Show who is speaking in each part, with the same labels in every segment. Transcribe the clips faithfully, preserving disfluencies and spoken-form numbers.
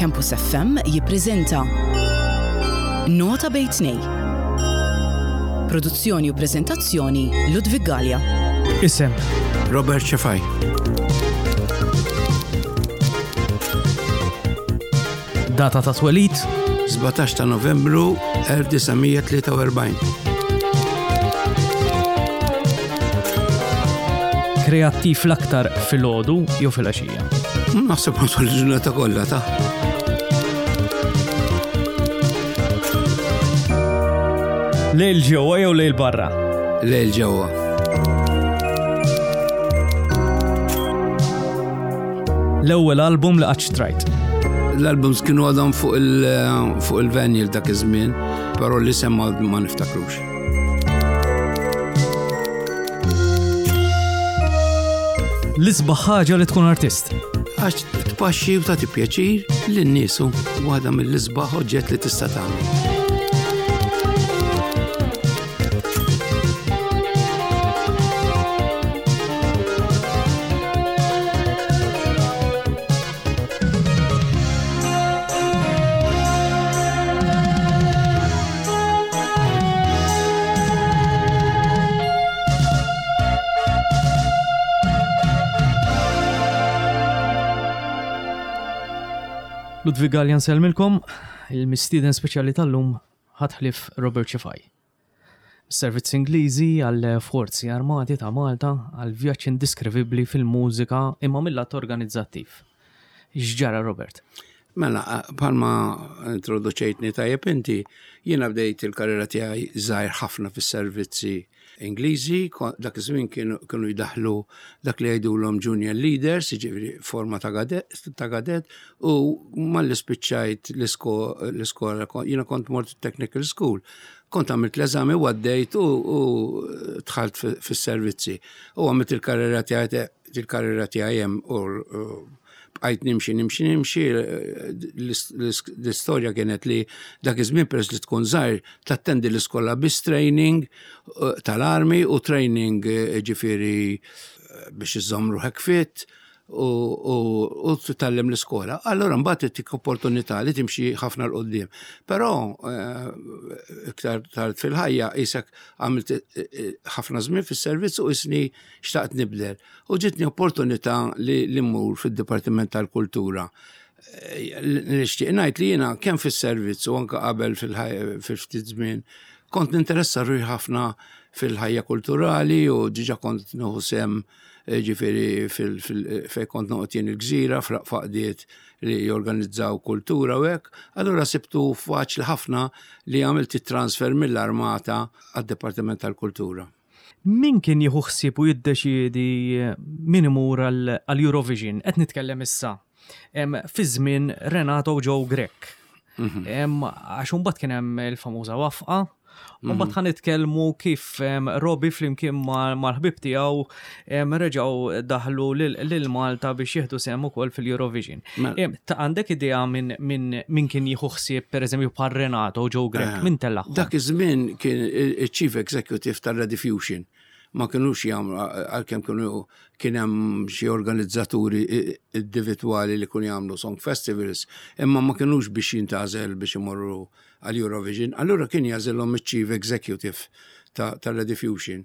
Speaker 1: Campus F M jippreżenta Nota Bejn Tnejn. Produzzjoni u preżentazzjoni, Ludwig Gallia.
Speaker 2: Isem.
Speaker 3: Robert Cefai.
Speaker 2: Data ta' twelid.
Speaker 3: sbatax ta' Novembru elf disa' mija tlieta u erbgħin.
Speaker 2: Kreattiv l-aktar filgħodu jew filgħaxija?
Speaker 3: Naħseb matul il-ġurnata kollha ta'.
Speaker 2: Lejl ġewwa jew lejl barra?
Speaker 3: Lejl ġewwa.
Speaker 2: L-ewwel album li qatt xtrajt?
Speaker 3: L-albums kienu għadhom fuq il- fuq il-vinyl dak iż-żmien, però l-isem ma ma niftakrux.
Speaker 2: L-isbaħ ħaġa li tkun artist?
Speaker 3: Għax tpaxxi u tagħti pjaċir lin-nies, u waħda mill-isbaħ oġġett li tista' tagħmel.
Speaker 2: Ludwig Gallia nsellmilkom, il-mistieden speċjali tal-lum ħadd ħlief Robert Cefai. Servizz Ingliżi għal Forzi Armati ta' Malta għal vjaġġ indiskrivibbli fil-mużika, imma mill-lat organizzattiv. X'ġara, Robert?
Speaker 3: Mela, bħalma introduċejtni tajjeb inti, jiena bdejt il-karriera tiegħi żgħir ħafna fis-servizzi Ingliżi, ko- dak iż-żmien kienu kienu jdaħlu dak li jgħidulhom junior leaders, jiġifieri forma ta' kadet, ta' kadet u malli spiċċajt l-isko- l-iskola, jiena kont mort technical school, kont għamilt l-eżami u għaddejt u, u dħalt fi- fis-servizzi. U għamilt il-karriera tiegħi il-karriera tiegħi hemm u u bqajt nimxi, nimxi, nimxi. L-istorja kienet li dak iż-żmien, peress li tkun żgħir, tattendi l-iskola biss training eh, tal-armi u training, eh, ġifieri eh, biex iżżomm ruħek fit u, u, u titgħallem l-iskola. Allora mbagħad tik opportunità li timxi ħafna 'l quddiem. Però eh, iktar tard fil-ħajja isek għamilt eh, eh, ħafna żmien fis-servizz u isni xtaqt nibdel. U ġitni opportunità li li mmur fid-Dipartiment tal-Kultura. Eh, Nixtieq ngħid li jiena kemm fis-servizz u anke qabel fil-ftit żmien kont ninteressa ruħi ħafna fil-ħajja kulturali u diġà kont nieħu sehem, eh, ġifieri fej kont noqgħod jien il-Gżira f'għaqdiet li jorganizzaw kultura u hekk. Allura sibtu faċli ħafna li għamilt it-transfer mill-armata għad-Dipartiment tal-Kultura.
Speaker 2: Min kien jieħu ħsieb u jiddeċiedi min imur għall-Eurovision? Qed nitkellem issa Em, fi żmien Renato Joe Grech. Em, Għax imbagħad kien hemm il-famuża wafqa. U mbagħad ħa nitkellmu kif em, Robbie flimkien ma- mal-ħbib tiegħu em, reġgħu daħlu lil lil Malta biex jieħdu sehem ukoll fil-Eurovision.
Speaker 3: Mela.
Speaker 2: Em, Ta' għandek idea minn min, min kien jieħu ħsieb, pereżempju bħal Renato Joe Grech, min tellagħhom?
Speaker 3: Dak iż-żmien kien il-Chief Executive tal-Rediffusion. Ma kienux jagħmlu, għalkemm kienu kien hemm xi organizzaturi individwali li kienu jagħmlu song festivals, imma ma kienux biex jintgħażel biex imorru għal Eurovision. Allura kien jagħżilhom il-Chief Executive ta' tal-Rediffusion.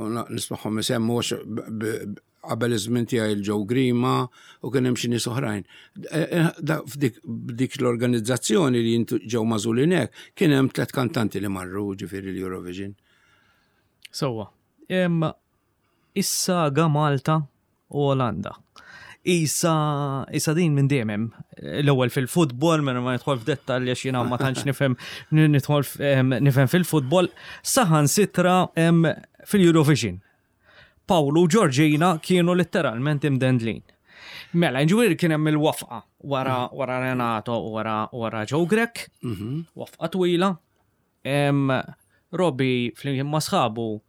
Speaker 3: U na- Nismagħhom isemmu għax b- b- qabel iż-żmien tiegħi il-Joe Grima u kien hemm xi nies oħrajn. Eh, eh, da- F'dik b'dik l-organizzazzjoni li jintu ġew magħżulin hekk, kien hemm tliet kantanti li marru ġifieri l-Eurovision.
Speaker 2: Sewwa. Em, Is-saga Malta u Olanda. Isa, isa din minn dejjem hemm. L-ewwel fil-futbol, minn ma nidħol f'dettalji għax jiena ma tantx nifhem nidħol f- em, nifhem fil-futbol, saħansitra em, fil-Eurovision. Pawlu u Georgina kienu letteralment imdendlin. Mela, ġifieri kien hemm il-wafqa wara, wara Renato u wara, wara Joe Grech, wafqa twila. Em, Robbie flimkien ma' sħabu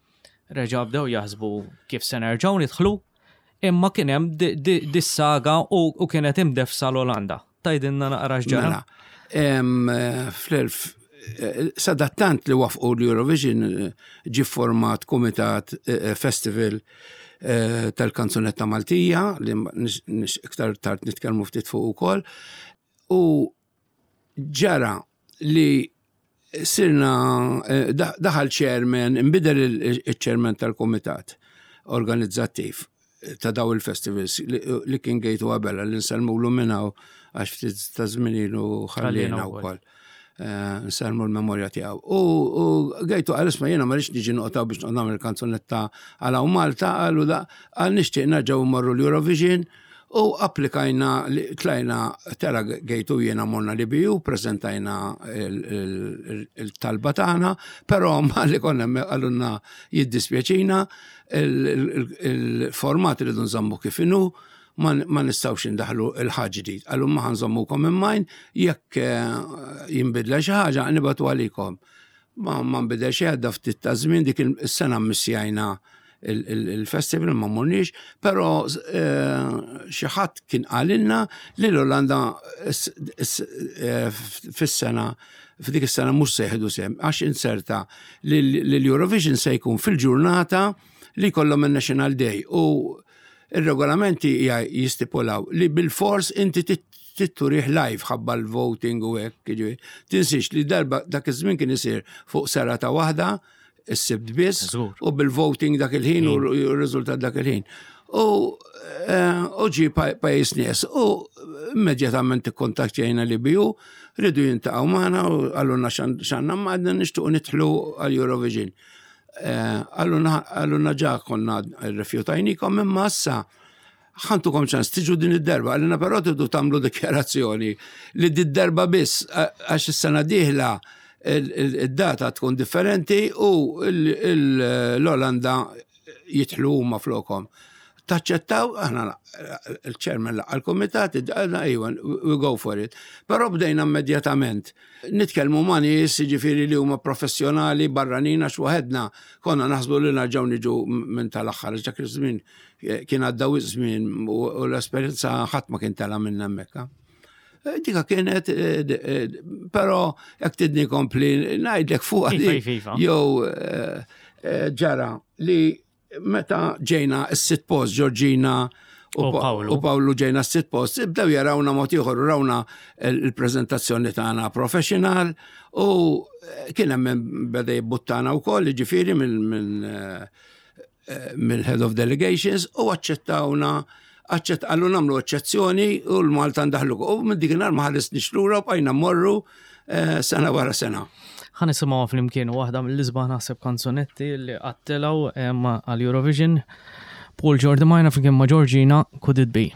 Speaker 2: reġa' bdew jaħsbu kif se nerġgħu nidħlu, imma kien hemm di- di- dis-saga u, u kienet imdefsa l-Olanda. Tgħidilna naqra x'ġara?
Speaker 3: Mela, em, eh, fl-elf eh, sadattant li wafqu l-Eurovision, eh, ġi format komitat, eh, festival eh, tal-kanzunetta Maltija li nix- nix- iktar tard nitkellmu ftit fuq ukoll. U ġara li sirna eh, daħal chairman, imbidel il-chairman tal-komitat organizzattiv ta' daw il-festivals li kien Gejtu Abela li nsellmulu minn hawn għax ftit ta' żmien ilu ħallina wkoll. Eh, nsellmu l-memorja tiegħu. U Gejtu qal isma' jiena ma rridx niġi noqgħod biex noqgħod nagħmel kanzunetta għal Malta, qalu da qal nixtieq nerġgħu mmorru l-Eurovision u applikajna, tlajna tela Gejtu jiena morna l-E B U, prezentajna il-talba tagħna, però ma li konna qalulna jiddispjaċina, il-format li nżommu kif inhu, ma nistgħux indaħlu il-ħaġa ġdid. Qallu ma ħa nżommukom in mind, jekk eh, jinbidla xi ħaġa nibagħtu għalikom. Ma ma nbidel xi għadda ftit ta' żmien, dik is-sena missjajna il-festival, ma morniex, però eh, xi ħadd kien qalilna li l-Olanda eh, fis-sena f'dik is-sena mhux se jieħdu sehem għax inserta li l-Eurovision se jkun fil-ġurnata li jkollhom il-National Day u il-regolamenti jistipulaw li bil-fors inti trid turih live ħabba l-voting u hekk. Jiġifieri, tinsiex li darba dak iż-żmien kien isir fuq serata waħda, is-Sibt biss,
Speaker 2: Żgur.
Speaker 3: u bil-voting dak il-ħin u r-riżultat dak il-ħin. U eh, u ġi pa- pajjiż nies u immedjatament ikkontattjajna l-E B U, riedu jiltaqgħu magħna u qalulna x'għandna ma għadna nixtiequ nidħlu għal-Eurovision. Qalulna ġa konna rrifjutajnikom imma issa ħa ntukom ċans tiġu din id-darba, qalilna però tridu tagħmlu dikjarazzjoni li din darba biss għax is-sena dieħla id-data tkun differenti u l-Olanda jidħlu huma flokom. Taċċettaw, aħna il-chairman laqqa l-komitat, għedna ejwa, we go for it. Però bdejna immedjatament. Nitkellmu ma' nies, ġifieri li huma professjonali, barranin, għax waħedna konna naħsbu li nerġgħu niġu minn tal-aħħar, dak iż-żmien kien għadda żmien u l-esperjenza ħadd ma kien tela minn hemmhekk. Dika kienet, eh, eh, però jekk tridni nkompli ngħidlek fuq
Speaker 2: Iva, iva, iva.
Speaker 3: jew eh, ġara li meta ġejna s-sitt post Georgina u
Speaker 2: U
Speaker 3: Pa-
Speaker 2: Pawlu.
Speaker 3: u Pawlu ġejna s-sitt post, bdew jarawna mod ieħor, rawna il-preżentazzjoni tagħna professional u kien hemm min beda jibbuttana wkoll, jiġifieri minn minn eh, mill-head of delegations u aċċettawna aċċett qallu nagħmlu eċċezzjoni u l-Malta ndaħlu. U minn dik ma ħarisniex lura u bqajna mmorru eh, sena wara sena.
Speaker 2: Ħa nisimgħu flimkien waħda mill-isbaħ naħseb kanzunetti li qatt telgħu għal Eurovision. Paul Giordimaina flimkien ma' Georgina, Could It Be?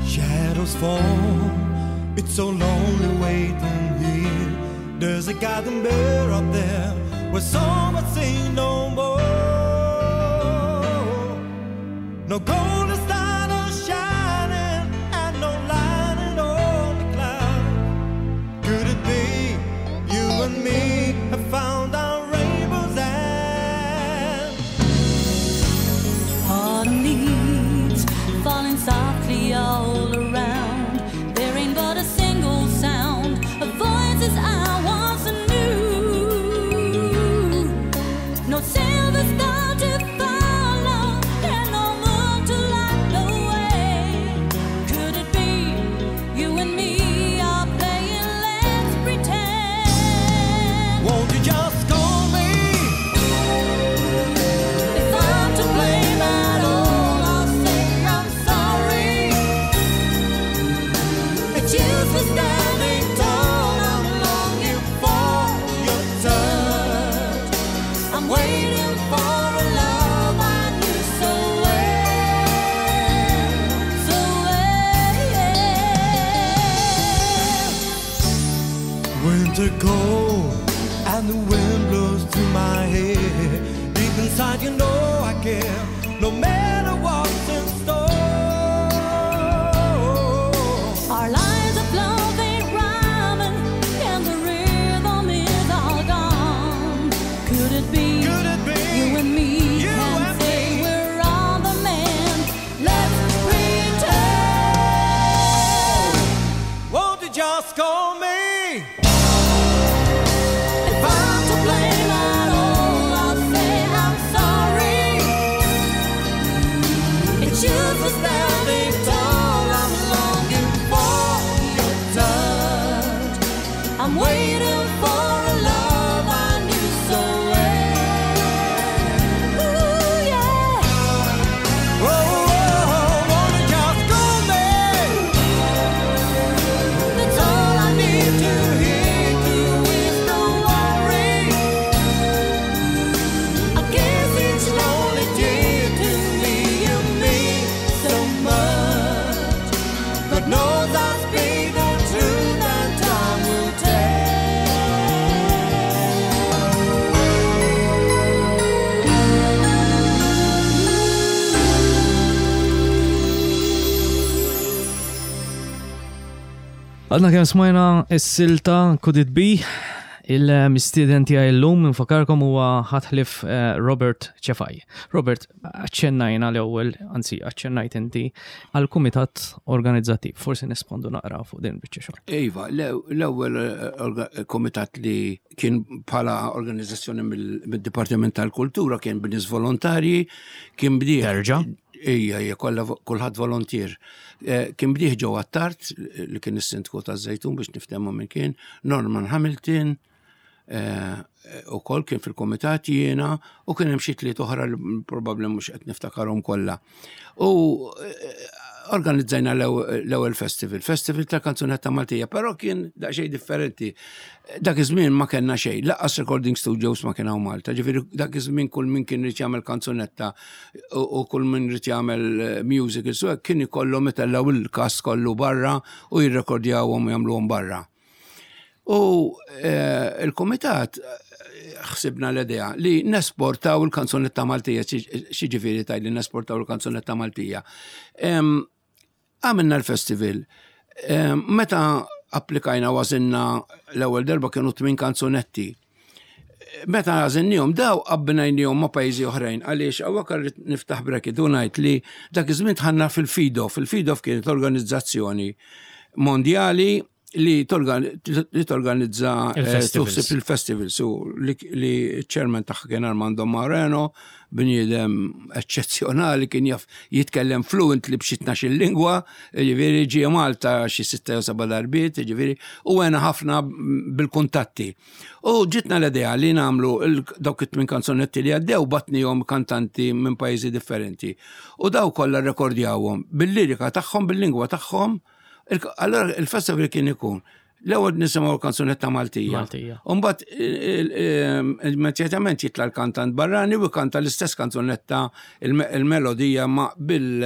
Speaker 4: Shadows fall, it's so lonely waiting here. There's a garden bear up there where some say no more. No golden star shining and no lining on the cloud. Could it be you and me have found our rainbows and
Speaker 5: Autumn leaves falling softly all around. There ain't but a single sound of voices I once knew. No silver star to follow and no moon to light the way. Could it be you and me are playing let's pretend?
Speaker 4: Won't you just call me?
Speaker 5: If I'm to blame at all, I'll say I'm sorry.
Speaker 4: It's useless standing tall. I'm longing for your touch.
Speaker 5: I'm waiting for a love I knew so well, so well.
Speaker 4: Winter cold and the wind blows through my hair. Deep inside, you know I care. No matter what's in store.
Speaker 5: Our lines of love ain't rhyming, and the rhythm is all gone. Could it be?
Speaker 4: Could it be?
Speaker 5: You and me
Speaker 4: You
Speaker 5: can
Speaker 4: and
Speaker 5: say
Speaker 4: me.
Speaker 5: we're on the mend. Let's pretend.
Speaker 4: just call me?
Speaker 5: If I'm to blame at all, I'll say I'm sorry. It's you for standing tall. I'm longing for your touch. I'm waiting for a love I knew so well. Ooh, yeah.
Speaker 4: Oh, oh, oh, won't you just call me?
Speaker 5: That's all I need to hear to ease the worry. I guess each lonely tear to me you mean so much.
Speaker 4: God knows I speak the truth and time will tell.
Speaker 2: Għadna kemm smajna s-silta Could It Be, il-mistieden tiegħi llum nfakarkom huwa ħatħlif eh, Robert Cefai. Robert, aċċennajna l-ewwel, anzi aċċennajt inti għal-kumitat organizzattiv. Forsi nespondu naqra fuq din biċċa xogħol.
Speaker 3: Iva, l-ewwel eh, orga- komitat li kien bħala organizzazzjoni mill- mid-Dipartiment tal-Kultura kien b'nies volontarji, kien bdieħ.
Speaker 2: Terġa'?
Speaker 3: Ija, ija, kollha kulħadd volontier. Eh, Kien bdieħ Joe Attard, li kien is-sindku taż-Żejtun biex niftehmu minn kien, Norman Hamilton, eh, u kol kien fil-komitat jiena u kien hemm xi tliet oħra li probabbli mhux qed niftakarhom kollha. U eh, organizzajna l-ewwel festival, festival ta' kanzunetta Maltija, però kien daqsxejn differenti. Dak iż-żmien ma kellna xejn, lanqas recording studios ma kien hawn Malta. Ġifieri dak iż-żmien kull min kien irid jagħmel kanzunetta u u kull min irid jagħmel eh, musical, so hekk kien ikollhom itellgħu il-cast kollu barra u jirrekordjawhom u jagħmluhom barra. U eh, il-komitat eh, ħsibna l-idea li nesportaw il-kanzunetta Maltija, x'jiġifieri taj li nesportaw il-kanzunetta Maltija. Em, Għamilna l-festival. Em, Meta applikajna għażilna l-ewwel darba kienu tmien kanzunetti. Meta għażilnihom daw abbinajnihom ma' pajjiżi oħrajn għaliex hawnhekk irrid niftaħ bracket u ngħid li dak iż-żmien dħalna fil-FIDOF. Il-FIDOF kienet organizzazzjoni mondjali li torgan- li torganizza eh,
Speaker 2: Il-festivals.
Speaker 3: tuħsib il-festival su li, li chairman tagħha kien Armando Moreno, bniedem eċċezzjonali kien jaf jitkellem fluently b'xi tnax-il lingwa, ġifieri ġie Malta xi sitta jew seba' darbiet, ġifieri u għena ħafna bil-kuntatti. U ġitna l-idea li nagħmlu il- dawk it-tmien kanzonetti li għaddew bgħatnihom kantanti minn pajjiżi differenti. U daw kollha rekordjawhom bil-lirika tagħhom, bil-lingwa tagħhom. Il- Allora il-festival kien ikun l-ewwel nisimgħu l-kanzunetta Maltija.
Speaker 2: Maltija.
Speaker 3: Umbagħad immedjatament jitla l-kantant barrani u kanta l-istess kanzunetta il- il-melodija ma bil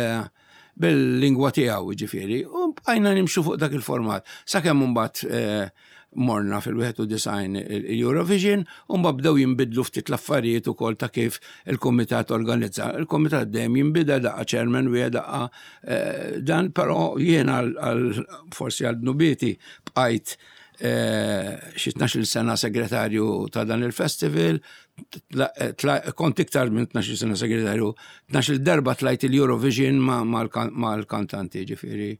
Speaker 3: bil-lingwa tiegħu ġifieri. U bqajna nimxu fuq dak il-format. Sakemm imbagħad eh, morna fil-wieħed u disgħin il-Eurovision, u mbagħad bdew jinbidlu ftit l-affarijiet ukoll ta' kif il-kumitat organizza. Il-kumitat dejjem jinbidel daqqa chairman u daqqa eh, dan, però jiena għal forsi għal dnubieti bqajt eh, xi tnax-il sena segretarju ta' dan il-festival, tla- tla- kont iktar minn tnax-il sena segretarju, tnax-il darba tlajt il-Eurovision ma- mal-kantanti, ġifieri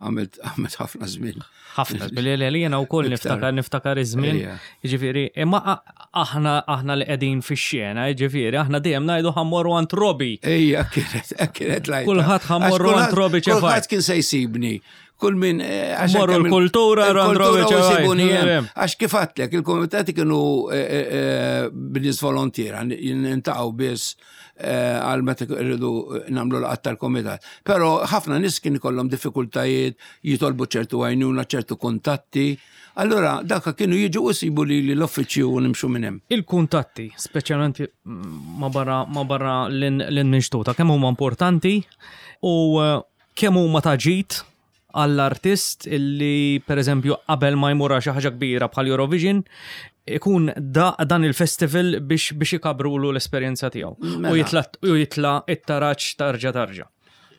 Speaker 3: għamilt għamilt ħafna żmien.
Speaker 2: Ħafna, billi li jiena wkoll
Speaker 3: Iktar.
Speaker 2: niftakar niftakar iż-żmien.
Speaker 3: Ejja.
Speaker 2: Jiġifieri, imma a- aħna aħna li qegħdin fix-xena, jiġifieri, aħna dejjem ngħidu ħa mmorru għand Robi.
Speaker 3: Ejja, kienet, kienet lajta.
Speaker 2: Kulħadd ħa mmorru
Speaker 3: Għax
Speaker 2: għand Robi Cefai.
Speaker 3: Kulħadd kien se jsibni. Kull min. eh, għax
Speaker 2: Morru
Speaker 3: hekk hemm il-
Speaker 2: l-kultura, għand
Speaker 3: il-kultura
Speaker 2: Robi
Speaker 3: u
Speaker 2: Cefai.
Speaker 3: jsibuni hemm.
Speaker 2: Hemm.
Speaker 3: Għax kif għedtlek, il-komitati kienu eh, eh, eh, b'nies volontiera, niltaqgħu biss eh, għal meta rridu nagħmlu laqgħat tal-komitat. Però ħafna nies kien ikollhom diffikultajiet, jitolbu ċertu għajnuna, ċertu kuntatti. Allora daka kienu jiġu u jsibu li l-uffiċċju u nimxu minn hemm.
Speaker 2: Il-kuntatti, speċjalment mm, ma barra ma barra l-minxtuta, kemm huma importanti u eh, kemm huma ta' ġid għall-artist illi per eżempju qabel ma jmur għal xi ħaġa kbira bħal Eurovision ikun da, dan il-festival biex biex ikabrulu l-esperjenza tiegħu
Speaker 3: Mela.
Speaker 2: u jitla u jitla it-taraġ tarġa tarġa.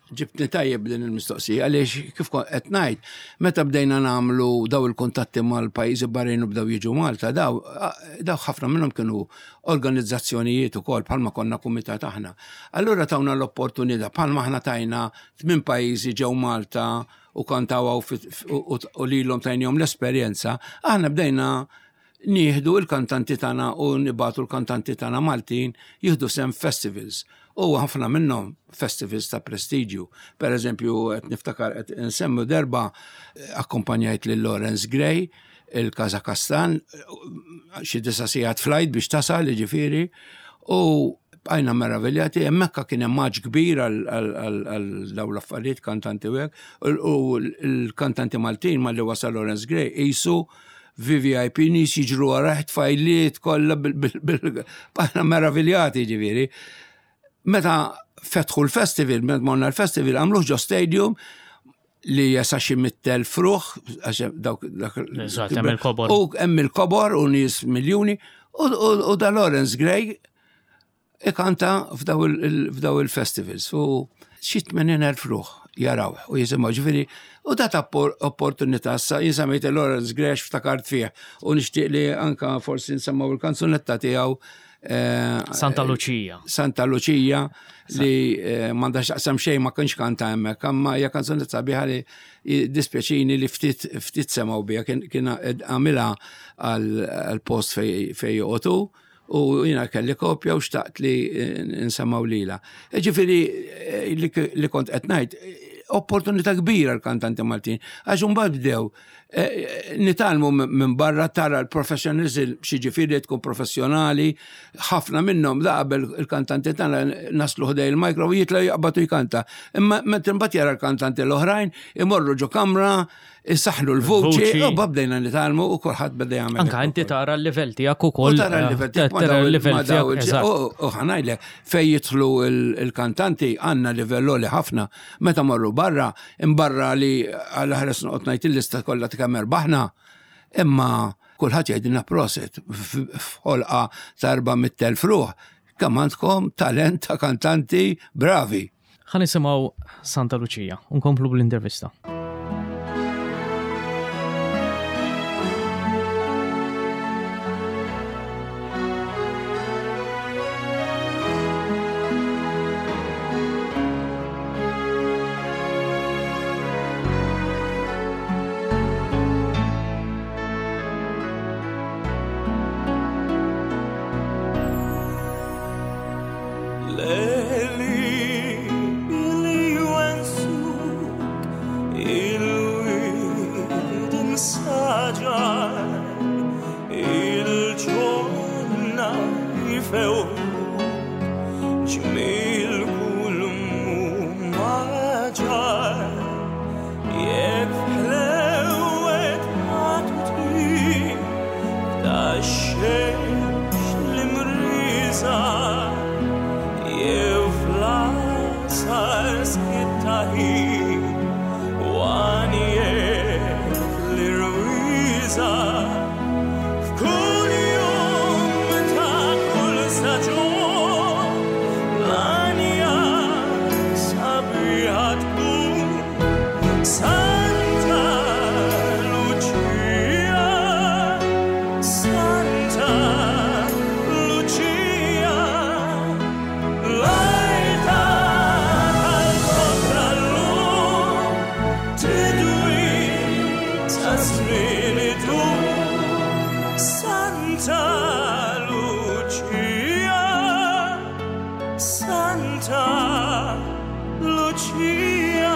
Speaker 3: Ġibtni tajjeb din il-mistoqsija, għaliex kif kont qed ngħid, meta bdejna nagħmlu daw il-kuntatti mal-pajjiżi barrin u bdew jiġu Malta, daw daw ħafna minnhom kienu organizzazzjonijiet ukoll bħalma konna kumitat aħna. Allura tawna l-opportunità bħalma aħna tajna tmien pajjiżi ġew Malta u kantaw u lilhom tajnihom l-esperjenza, aħna bdejna nieħdu il-kantanti tagħna u nibagħtu l-kantanti tagħna Maltin jieħdu sehem festivals. U ħafna minnhom festivals ta' prestiġju. Per eżempju, qed niftakar qed insemmu darba akkompanjajt lil Lawrence Gray il-Kazakastan, xi disa' sigħat flight biex tasal, jiġifieri, u bqajna meraviljati, hemmhekk kien hemm maġ kbir għal dawn l-affarijiet kantanti u hekk, u l-kantanti Maltin malli wasal Lawrence Gray qisu V V I P, nies jiġru warajh, tfajliet kollha, bqajna meraviljati ġifieri. Meta fetħu l-festival, meta morna l-festival, għamluh ġo stadium li jesa' xi mitt elf ruħ, għax dawk dak
Speaker 2: Eżatt, hemm il-kobor.
Speaker 3: U hemm il-kobor u nies miljuni, u, u, u da Lawrence Gray ikanta f'daw il- f'daw il-festivals. U xi tmenin elf ruħ jaraw u jisimgħu ġifieri u dat opportunità. Sa jien semmejt Lawrence Gray ftakart fih u nixtieq li anka forsi nsemmaw il-kanzunetta tiegħu eh,
Speaker 2: Santa Lucia.
Speaker 3: Santa Lucia li eh, m'għandax taqsam xejn, ma kienx kanta hemmhekk, imma hija kanzunetta sabiħa li dispjaċini li ftit ftit semgħu biha. Kien kien għamilha għal post fej fej joqogħdu u jiena kelli kopja u xtaqt li eh, nsemmaw lila. Ġifieri eh, li li kont qed ngħid, eh, opportunità kbira l-kantanti Maltin. Għax imbagħad bdew eh, nitgħallmu minn barra, tara l-professionalism, xi ġifieri tkun professjonali, ħafna minnhom da qabel il-kantanti tagħna naslu ħdej il-mikro u jitla jaqbatu jkanta. Imma meta imbagħad jara l-kantanti l-oħrajn imorru ġo kamra, isaħħnu l-vuċi,
Speaker 2: Vuċi.
Speaker 3: u bdejna nitgħallmu u kulħadd beda jagħmel.
Speaker 2: Anka
Speaker 3: hekk
Speaker 2: inti
Speaker 3: ukoll.
Speaker 2: tara l-level tiegħek ukoll.
Speaker 3: U tara l-level tiegħek ma
Speaker 2: Tara
Speaker 3: daw il-
Speaker 2: l-level
Speaker 3: ma daw
Speaker 2: tiegħek.
Speaker 3: il-
Speaker 2: Eżatt.
Speaker 3: U u ħa ngħidlek, fej jidħlu il- il-kantanti għandna livell li ħafna. Meta marru barra, imbarra li għal ħares noqgħod ngħid il-lista kollha ta' kemm erbaħna, imma kulħadd jgħidilna prosit f'ħolqa ta' erba' mitt elf ruħ. Kemm għandkom talent ta' kantanti bravi.
Speaker 2: Ħa nisimgħu Santa Lucia, unkomplu bl-intervista.
Speaker 4: Leli li jwensuk il-wied imsaġar il-ġonna jfewk ġmil kull maġar jekk ħlewet matuti ta' xemx l-imriża jew fl-asar skittaħin u għanijiet l-irwiża f'kull jum ta' kull staġun l-għanja sabiħa tkun Santa Lucia, Santa Lucia, l-għajta tal-kontra l-lum tidwi ta' żmien idum. Santa Lucia, Santa Lucia.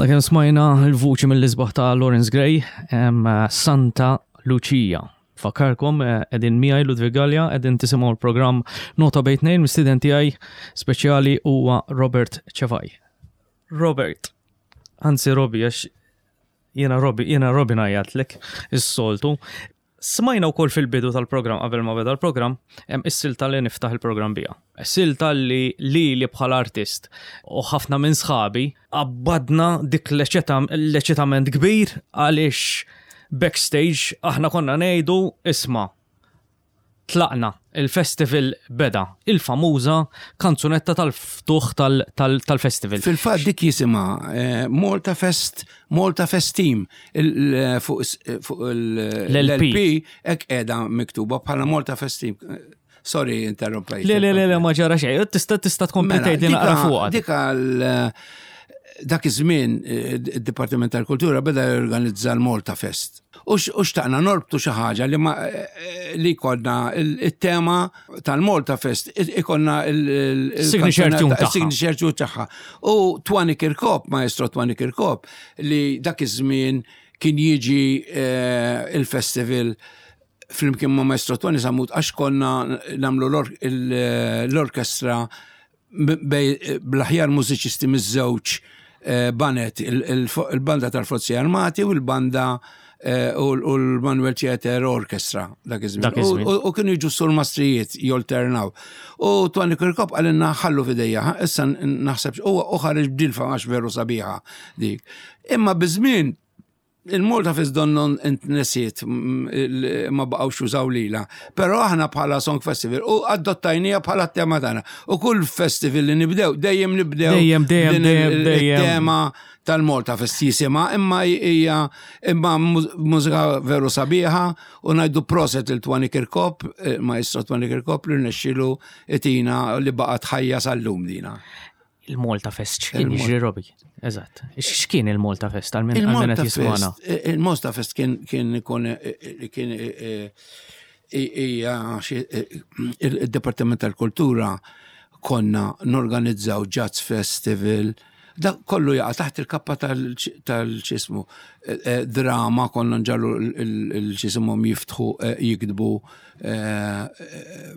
Speaker 2: Għadna kemm smajna l-vuċi mill-isbaħ ta' Lawrence Gray, em, Santa Lucia. Fakkarkom, eh, qegħdin miegħi Ludwig Gallia, qegħdin tisimgħu l-programm Nota Bejn Tnejn, mistieden tiegħi speċjali huwa Robert Cefai. Robert, anzi Robi, għax jiena Robi, jiena Robi ngħajjatlek is-soltu. Smajna wkoll fil-bidu tal-programm, qabel ma beda l-programm, hemm is-silta li niftaħ il-programm bija. Silta li li li bħala artist u ħafna minn sħabi abbadna dik l-eċitament kbir għaliex backstage aħna konna ngħidu, "Isma', tlaqna, il-festival beda", il-famuża kanzunetta tal-ftuħ tal-festival.
Speaker 3: Fil-fatt dik jisimha eh, Malta Fest, Malta Fest Team, fuq l-L P hekk qiegħda miktuba bħala Malta Fest Team. Sorry, interrompejt.
Speaker 2: Le, le, le, le, ma ġara xejn. Tista' tista' tkompli
Speaker 3: Mela,
Speaker 2: tgħidli naqra fuqha.
Speaker 3: Dik dak iż-żmien eh, id-Dipartiment tal-Kultura beda jorganizza l-Malta Fest. U xtaqna norbtu xi ħaġa li ma eh, li konna il-tema tal-Malta Fest, ikonna
Speaker 2: il-signature tune tagħha.
Speaker 3: Il-signature tune tagħha. U Twani Kirkop, maestro Twani Kirkop, li dak iż-żmien kien jiġi eh, il-festival flimkien ma' maestro Twani Samut, għax konna nagħmlu l-orkestra bl-aħjar mużiċisti miż-żewġ eh, baned, il-banda tal-Forzi Armati u l-banda eh, u l-Manuel Theatre Orchestra dak iż-żmien. U kienu jiġu surmastrijiet jolternaw. U Twani Kirkop qalilna, "Ħallu f'idejja, issa naħseb", u ħareġ b'dilfa għax veru sabiħa dik. Imma biż-żmien il-Malta Fest donnon intnesiet, ma baqgħux jużaw lila. Però aħna bħala Song Festival u adottajnieha bħala tema tagħna. U kull festival li nibdew, dejjem nibdew
Speaker 2: Dejjem, dejjem,
Speaker 3: din
Speaker 2: dejjem,
Speaker 3: il-
Speaker 2: dejjem.
Speaker 3: il-tema tal-Malta Fest jisimha, imma hija imma mużika veru sabiħa u ngħidu proset lil Twani Kirkop, eh, maestro Twani Kirkop, li rnexxielu itina li baqgħet ħajja sal-lum dina.
Speaker 2: Il-Malta Fest, x'kien
Speaker 3: Il-Malta-
Speaker 2: jiġri, Robi? Eżatt. X'kien il-Malta Fest għal min għal min
Speaker 3: Il-Malta
Speaker 2: qed jismana?
Speaker 3: Fest, eh, il-Malta Fest kien kien ikun eh, kien eh, hija xi- eh, il-Dipartiment tal-Kultura konna norganizzaw Jazz Festival. Da kollu jaqa' taħt il-kappa tal-ċismu. Drama, konna nġallu il-ċismu jiftħu, eh, jiktbu eh, eh,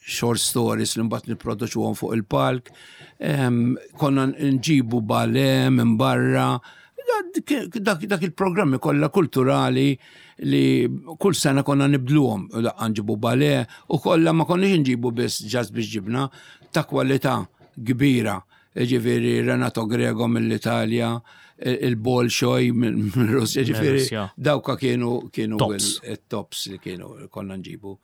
Speaker 3: short stories li mbagħad nipproduċuhom fuq il-palk. Em, Konna nġibu ballet minn barra. Dak dak- dak il-programmi kollha kulturali li kull sena konna nibdluhom. Daqqa nġibu ballet u kollha ma konniex nġibu biss jazz biex ġibna ta' kwalità kbira. Ġifieri Renato Grego mill-Italja, il-Bolshoi mill-Russja, ġifieri
Speaker 2: Russja.
Speaker 3: dawka kienu kienu
Speaker 2: Tops.
Speaker 3: il-tops li kienu konna nġibu.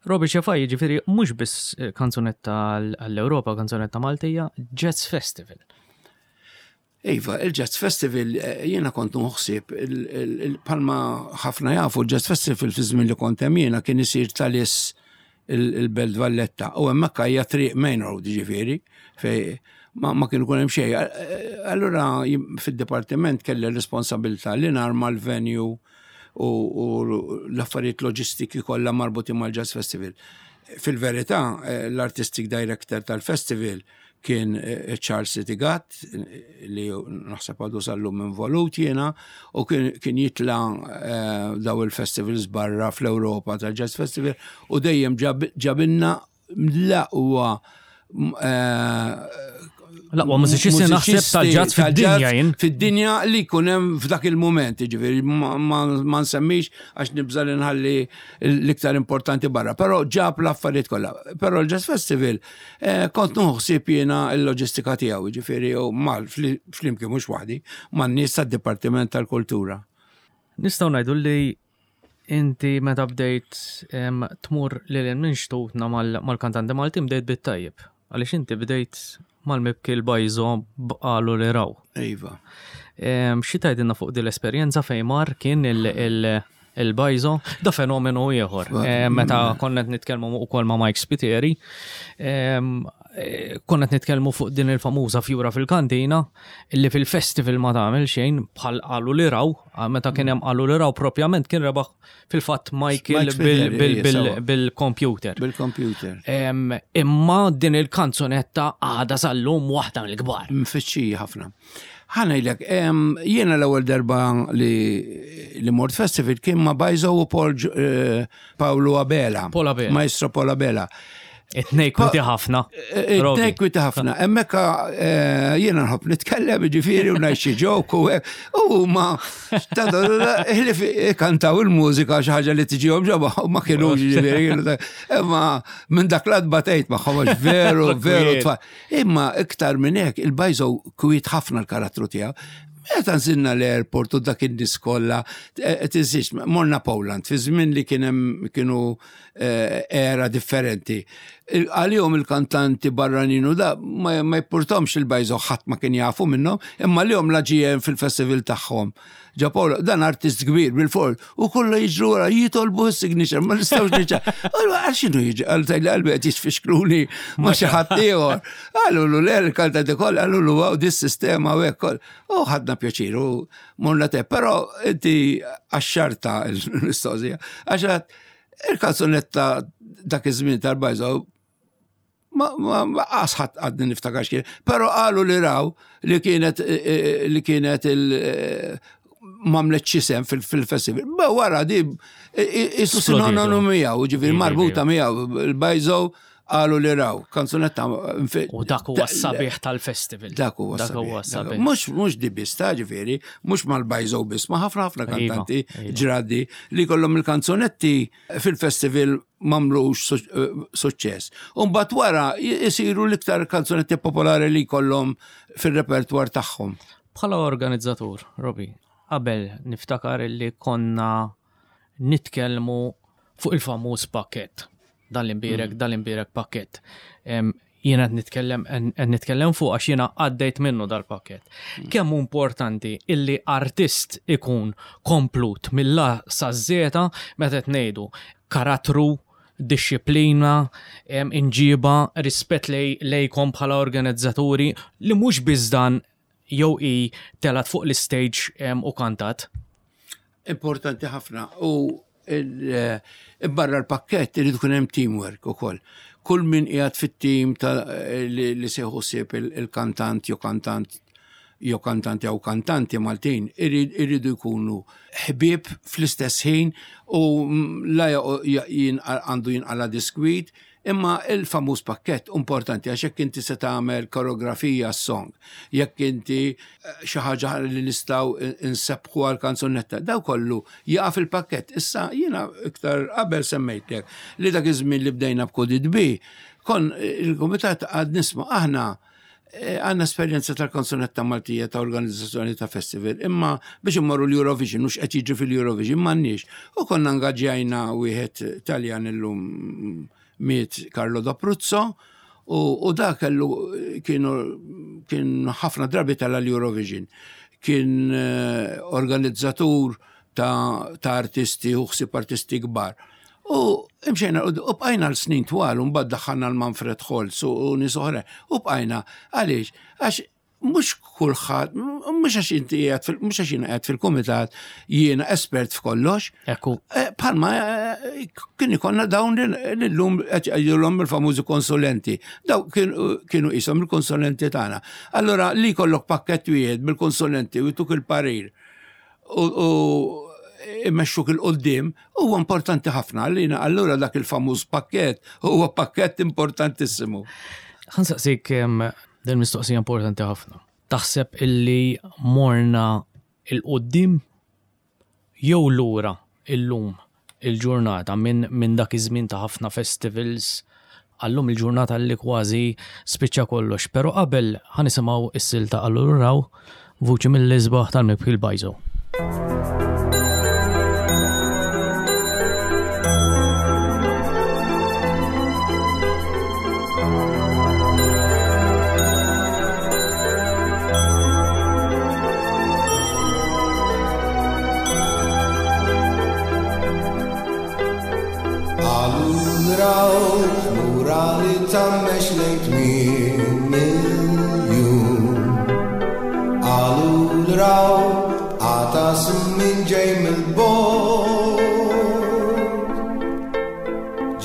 Speaker 2: Robi Cefai, ġifieri, mhux biss eh, kanzunetta għall-Ewropa, kanzunetta Maltija, Jazz Festival.
Speaker 3: Iva, il-Jazz Festival, eh, jiena kont nħossib, palma ħafna jafu, il-Jazz Festival fi żmien li kont hemm jiena kien isir tal-is il-Belt Valletta. U hemmhekk hija triq main road, ġifieri, fej ma, ma kienu kun hemm xejn. Eh, Allura jim- fid-dipartiment kelli responsabilità li narma l-venue u, u l-affarijiet loġistiki kollha marbuti mal-Jazz Festival. Fil-verità, eh, l-artistic director tal-festival kien eh, Charles Sitigat, eh, li naħseb għadu sal-lum involut jiena, u kien, kien jitla eh, daw il-festivals barra fl-Europa tal-Jazz Festival, u dejjem ġab- ġabinna l-aqwa eh,
Speaker 2: L-aqwa mużiċisti naħseb tal-jazz fid-dinja jien.
Speaker 3: Fid-dinja li jkun hemm f'dak il-moment, ġifieri ma, ma, ma nsemmix għax nibża li nħalli l-iktar importanti barra, però ġab l-affarijiet kollha. Però l-Jazz Festival eh, kont nħossib jiena l-loġistika tiegħu, ġifieri u mal flimkien, mhux waħdi, man-nies tad-Dipartiment tal-Kultura.
Speaker 2: Nistgħu ngħidu li inti meta bdejt em, tmur lil minn xtutna mal- mal-kantanti Maltin bdejt bit-tajjeb. Għaliex inti bdejt mal-mibki l-Bajzo b'Qalu li Raw.
Speaker 3: Iva.
Speaker 2: Em, Xi tgħidilna fuq din l-esperjenza fejn mar kien il- il- il-Bajzo, da fenomenu ieħor. Em, Meta konna qed nitkellmu ukoll ma' Mike Spiteri, em, eh, konna qed nitkellmu fuq din il-famuża fjura fil-kantina illi fil-festival ma tagħmel xejn bħal Qalu li Raw, ah, meta kien hemm Qalu li Raw propjament kien rebaħ fil-fatt Michael
Speaker 3: Mike Spiteri,
Speaker 2: bil- bil-
Speaker 3: ija,
Speaker 2: bil-
Speaker 3: sewa.
Speaker 2: bil-computer.
Speaker 3: Bil-computer.
Speaker 2: Em, Imma din il-kanzunetta għada sal-lum waħda mill-kbar.
Speaker 3: Mfittxija ħafna. Ħa ngħidlek, jiena l-ewwel darba li, li mort festival kien ma' Bajzo u Paul eh, Paolo Abela.
Speaker 2: Paul Abela.
Speaker 3: Maestro Paul Abela.
Speaker 2: It-tnejn kwieti ħafna.
Speaker 3: Eh, It-tnejn kwieti ħafna. Hemmhekk eh, jiena nħobb nitkellem ġifieri u ngħid xi joke u hekk. U ma ħlief kantaw il-mużika xi ħaġa li tiġihom ġobha u ma kienux ġifieri. kienu ta- Imma minn dak l batejt magħhom għax veru, veru tfal. Imma iktar minn hekk il-Bajzo kwiet ħafna l-karattru tiegħu. Meta nżilna l-airport u dak in-nies kollha, tinsiex, morna Poland, fi żmien li kien hemm kienu eh, era differenti. Il- Għalihom il-kantanti barranin u da ma ma jimpurtahomx il-Bajzo ħadd ma kien jafu minnhom, imma għalihom la ġie fil-festival tagħhom. Ġa Paolo, dan artist kbir bil-fort, u kollu jiġru wara jitolbu s-signature, ma nistgħux niġa. Għal x'inhu jiġi? Għal tajli qalbi qed jisfixkluni ma xi ħadd ieħor. Qallu lu le l-kantanti kollha, qallu lu wow, dis-sistema u hekk koll. U ħadna pjaċir u morna te, però inti għaxxarta l-mistoqsija. Għax il-kanzunetta dak iż-żmien tal-Bajzo ma ma ma qasħat għadni niftakar x'kien, però qalu li raw li kienet eh, eh, li kienet il eh, m'għamlet xisem fil-festival. Ma wara di isu sinonimu miegħu, ġifieri
Speaker 2: Iva,
Speaker 3: marbuta
Speaker 2: iva.
Speaker 3: miegħu il-Bajzo qalu li raw, kanzunetta
Speaker 2: U dak huwa s-sabiħ tal-festival.
Speaker 3: Dak huwa
Speaker 2: Dak huwa
Speaker 3: sabiħ.
Speaker 2: s-sabiħ.
Speaker 3: Mhux mhux di biss ta' ġifieri, mhux mal-Bajzo biss, ma ħafna ħafna
Speaker 2: Iva,
Speaker 3: kantanti
Speaker 2: iva.
Speaker 3: ġradi li kollhom il-kanzunetti fil-festival m'għamlux su- eh, suċċess. U mbagħad wara jisiru l-iktar kanzunetti popolari li kollhom fil-repertwar tagħhom.
Speaker 2: Bħala organizzatur, Robi, qabel niftakar li konna nitkellmu fuq il-famuż pakket. Dan l-imbierek, dan l-imbierek pakket. Em, Jiena qed nitkellem qed nitkellem fuq għax jiena għaddejt minnu dal-pakket. Kemm hu importanti illi artist ikun komplut mill-A sa Z meta qed ngħidu karattru, disċiplina, em, imġiba, rispett lej, lejkom bħala organizzaturi li mhux biss dan jew i telat fuq l-stage em, u kantat.
Speaker 3: Importanti ħafna. U il- eh, barra l-pakket irid ikun hemm teamwork ukoll. Kull min qiegħed fit-team ta' li, li se ħsieb il-kantant jew kantant jew kantanti jew kantanti Maltin irid- iridu jkunu ħbieb fl-istess ħin u mm, la ja- jin- għandu jinqala diskwit imma il-famuż pakket importanti għax jekk inti se tagħmel koreografija song, jekk inti eh, xi ħaġa li nistgħu insebbħu għal kanzunetta, daw kollu jaqa' fil-pakket. Issa jiena iktar qabel semmejtlek li dak iż-żmien li bdejna b'Could It Be, kon il-kumitat għad nisma' aħna eh, għandna esperjenza tal-kanzunetta Maltija ta' organizzazzjoni ta' festival, imma biex immorru l-Eurovision, mhux qed jiġri fil-Eurovision, m'għandniex. U konna ngaġġjajna wieħed Taljan illum miet Carlo D'Apruzzo, u, u da kellu kienu kien ħafna drabi tala l-Eurovision. Kien eh, organizzatur ta', ta' artisti u ħsib artisti kbar. U imxejna, u u bqajna l-snin twal, u mbagħad daħħalna l-Manfred Holz u u nies oħra. U bqajna, għaliex, għax mhux kulħadd, mhux għax inti qiegħed fil- mhux għax jiena qiegħed fil-kumitat jiena espert f'kollox.
Speaker 2: Ekku,
Speaker 3: Eh, Palma eh, kien ikonna dawn li l-lum qed jgħidulhom il-famużi konsulenti. Daw kienu kienu qishom il-konsulenti tagħna. Allora li jkollok pakkett wieħed bil-konsulenti u jtuk il-parir u u imexxuk il-qoddim huwa importanti ħafna għalina. Allura dak il-famuż pakkett huwa pakkett importantissimu.
Speaker 2: Ħa nsaqsik em, din mistoqsija importanti ħafna. Taħseb illi morna il-qoddim jew lura illum il-ġurnata minn min dak iż-żmien ta' ħafna festivals għallum il-ġurnata li kważi spiċċa kollox. Però qabel ħa nisimgħu is-silta għalluraw vuċi mill-isbaħ tal-mibki l-Bajzo.
Speaker 4: Għallu raw, murali tammex lejn tmien miljun. Għallu raw, għatas minn ġej mill-bot.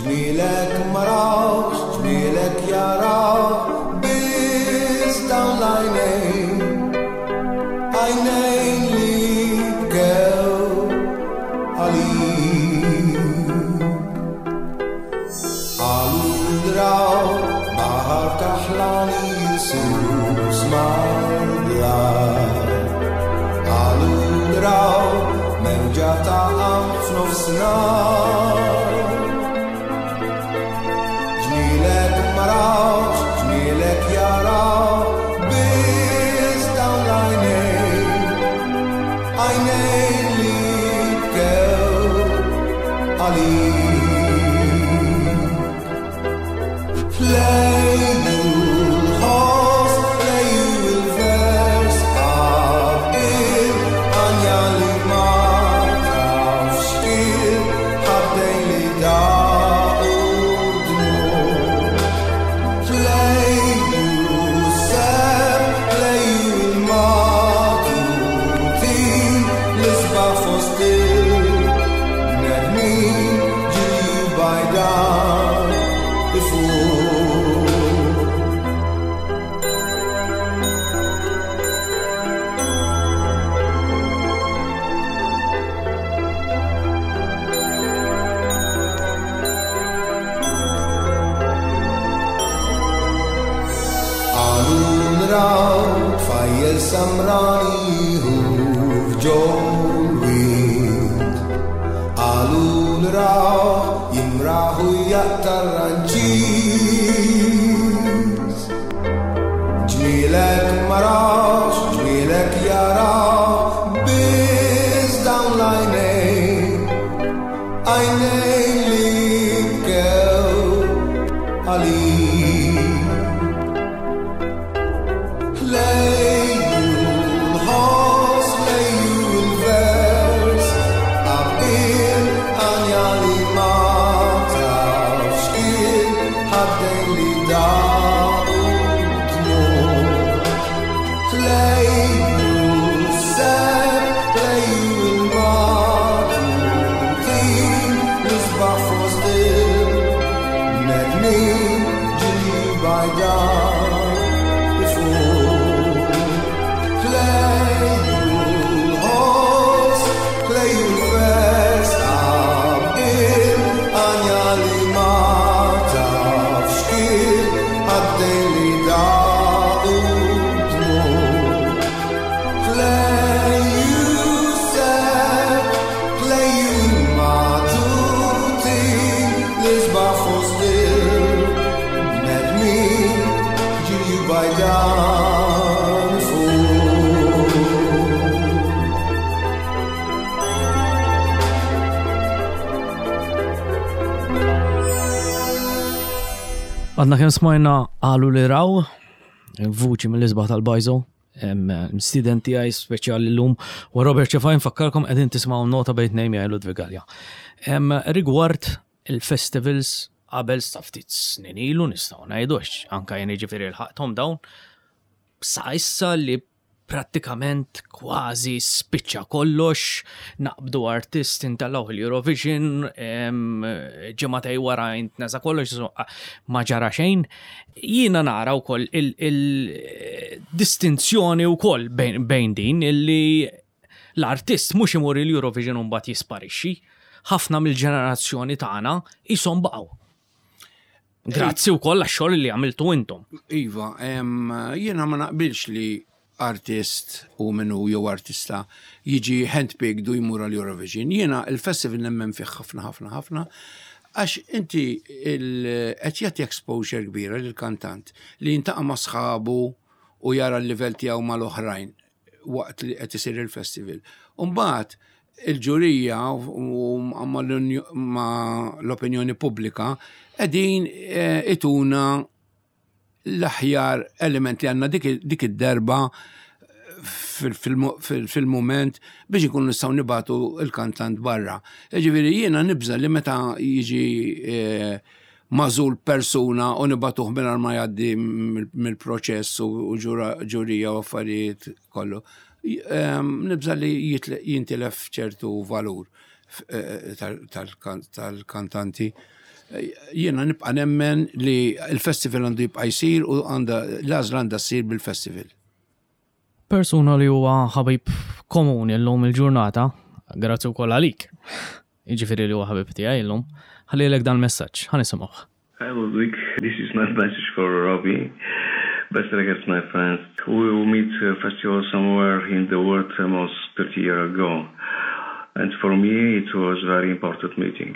Speaker 4: Ġmielek ma rawx, ġmielek jaraw, biz dawn l-għajnejn. Baħar kaħlani jisus mal-blat. Qalu raw mewġa ta' f'nofsinhar. Ġmielek ma rawx, ġmielek jaraw, biss dawn l-għajnejn, għajnejn li bkew għalik. Lejlu l-ħoss, lejlu l-vers, qabel għanja li ma tafx kif, ħaddejn li daqu dmugħ. Lejlu s-sebħ, lejlu l-matutin, l-isbaħ fost il-bnedmin, ġilju bajdan ifur. Qalu nraw tfajjel samrani hu f'ġol-wied. Qalu nraw jimraħu jaqta' ranċiż. Ġmielek ma rawx, ġmielek jaraw, biss dawn l-għajnejn, għajnejn li bkew għalik. Lejlu l-ħoss, lejlu l-vers, qabel għanja li ma tafx kif, ħaddejn li daqu dmugħ. Lejlu s-sebħ, lejlu l-matutin, l-isbaħ fost il-bnedmin, ġilju bajdan ifur. Lejlu l-ħoss, lejlu l-vers, qabel għanja li ma tafx kif, għaddejn li daqu dmugħ. Lejlu s-sebħ, lejlu l-matutin, l-isbaħ fost il-bnedmin, ġilju bajdan ifur.
Speaker 2: Għadna kemm smajna Qalu li raw, vuċi mill-isbaħ tal-Bajzo, student tiegħi speċjali llum, u Robert Cefai nfakkarkom qegħdin tisimgħu Nota bejn tnejn miegħi Ludwig Galea. Em, Rigward il-festivals qabel sa ftit snin ilu nistgħu ngħidu għax anke jien jiġifieri lħaqthom dawn, sa issa li prattikament kważi spiċċa kollox, naqbdu artist intellgħu il-Eurovision, em, ġimagħtejn wara jintnesa kollox, so, ma ġara xejn. Jiena nara wkoll il-distinzjoni wkoll bejn, bejn din illi l-artist mhux imur il-Eurovision u mbagħad jisparixxi. Ħafna mill-ġenerazzjoni tagħna ishom baqgħu. Grazzi wkoll għax-xogħol li għamiltu intom.
Speaker 3: Iva, em, jiena ma naqbilx li artist u minnu jew artista jiġi handpicked u jmur għal Eurovision. Jiena il-festival nemmen fih ħafna, ħafna, ħafna, għax inti il-, qed jagħti exposure kbira lill-kantant li jintaqa' ma' sħabu u jara l-livell tiegħu mal-oħrajn waqt li qed isir il-festival. U mbagħad il-ġurija u ma' l-opinjoni pubblika qegħdin, eh, ituna l-aħjar element li għandna dik, dik id-darba fil-, fil-, fil-, fil-moment biex ikun nistgħu nibatu il-kantant barra. Ġifieri jiena nibża li meta jiġi, eh, magħżul persuna u nibatuh mingħajr ma jgħaddi mill-, mill-proċess u, u ġura-, ġurija u affarijiet kollu. J-, ehm, nibża li jitle-, jintilef ċertu valur f-, eh, tal-, tal-kan-, tal-kantanti. Jiena nibqa' nemmen li l-festival għandu jibqa' jsir u għandha, l-għażla għandha ssir bil-festival.
Speaker 2: Persuna li huwa ħabib komuni llum il-ġurnata, grazzi wkoll għalik. Jiġifieri li huwa ħabib tiegħi llum, ħallilek dan il-messaġġ, ħa nisimgħuh.
Speaker 6: Hi Ludwig, this is my message for Robbie. Best regards, my friend. We will meet a festival somewhere in the world almost thirty years ago. And for me, it was a very important meeting.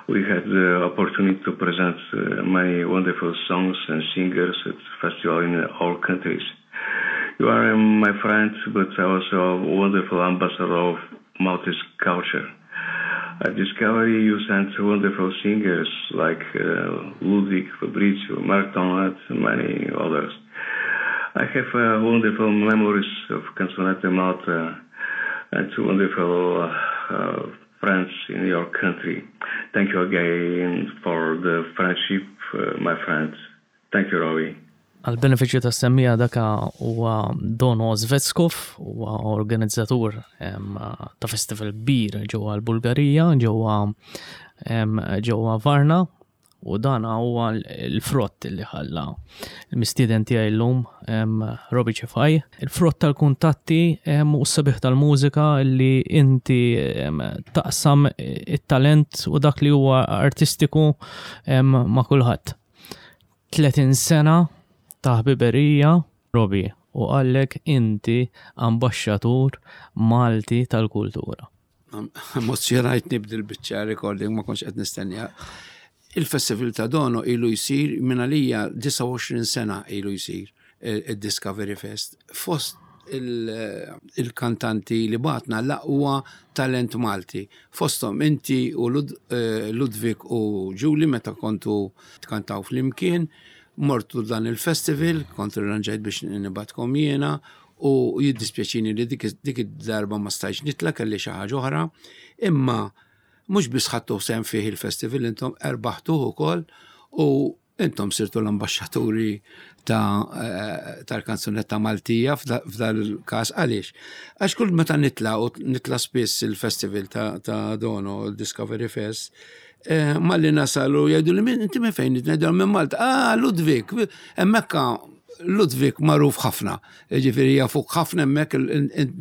Speaker 6: We had the opportunity to present uh, many wonderful songs and singers at festival in all countries. You are um, my friend, but also a wonderful ambassador of Maltese culture. At Discovery, you sent wonderful singers like uh, Ludwig, Fabrizio, Mark Tonat, and many others. I have uh, wonderful memories of Canzonetta Malta and wonderful uh, uh, friends in your country. Thank you again for the friendship, uh, my friends. Thank you, Robbie.
Speaker 2: Għal-benefiċċju tas-semmiegħa, daka huwa Dono Zvetskov, huwa organizzatur em, ta' festival kbir ġewwa l-Bulgarija, ġewwa em, ġewwa Varna, u dan huwa l-frott li ħalla l-mistieden tiegħi llum, em, Robbie Cefai. Il-frott tal-kuntatti em, u s-sabiħ tal-mużika li inti em, taqsam it-talent u dak li huwa artistiku em, ma' kulħadd. tletin sena ta' ħbiberija, Robbie, u għallek inti ambaxxatur Malti tal-kultura.
Speaker 3: Emozjonajt nibdi l-biċċa recording, ma kontx qed nistennija. Il-Festival ta' Dono ilu jsir minn għalija disgħa u għoxrin sena, ilu jsir il-Discovery Fest. Fost il-kantanti li bagħatna l-aqwa talent Malti. Fostom inti u Lud, eh, Ludwig u Julie meta kontu tkantaw flimkien, mortu dan il-festival, kont irranġajt biex nibgħatkom jiena u jiddispjaċini li dik dik id-darba ma stajtx nitla', kelli xi ħaġa oħra, imma mhux biss ħadtu sehem fih il-festival, intom erbaħtuh ukoll u intom sirtu l-ambasċaturi ta' eh, tal-kanzunetta Maltija f'dal każ. Għaliex? Għax kull meta nitla', u nitla' spiss il-festival ta', ta Dono, il-Discovery Fest, eh, malli nasalu jgħidu li "Min- inti minn fejn?" Ngħidu minn Malta. "Ah, Ludwig, hemmhekk Ludwig magħruf ħafna, ġifieri jafuk ħafna hemmhekk."